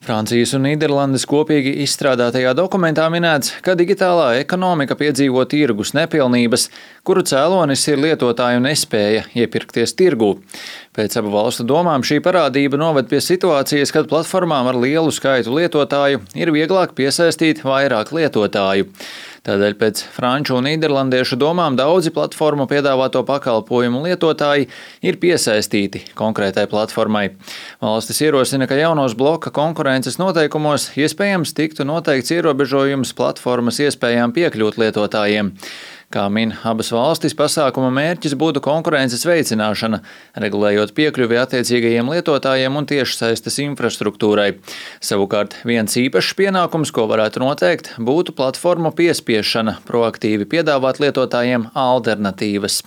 Francijas un Nīderlandes kopīgi izstrādātajā dokumentā minēts, ka digitālā ekonomika piedzīvo tirgus nepilnības, kuru cēlonis ir lietotāju nespēja iepirkties tirgū. Pēc abu valstu domām šī parādība noved pie situācijas, kad platformām ar lielu skaitu lietotāju ir vieglāk piesaistīt vairāk lietotāju. Tādēļ pēc franču un nīderlandiešu domām daudzi platformu piedāvāto pakalpojumu lietotāji ir piesaistīti konkrētai platformai. Valstis ierosina, ka jaunos bloka konkurences noteikumos iespējams tiktu noteikts ierobežojums platformas iespējām piekļūt lietotājiem. Kā min abas valstis, pasākuma mērķis būtu konkurences veicināšana, regulējot piekļuvi attiecīgajiem lietotājiem un tiešsaistes infrastruktūrai. Savukārt viens īpašs pienākums, ko varētu noteikt, būtu platformu piespiešana proaktīvi piedāvāt lietotājiem alternatīvas.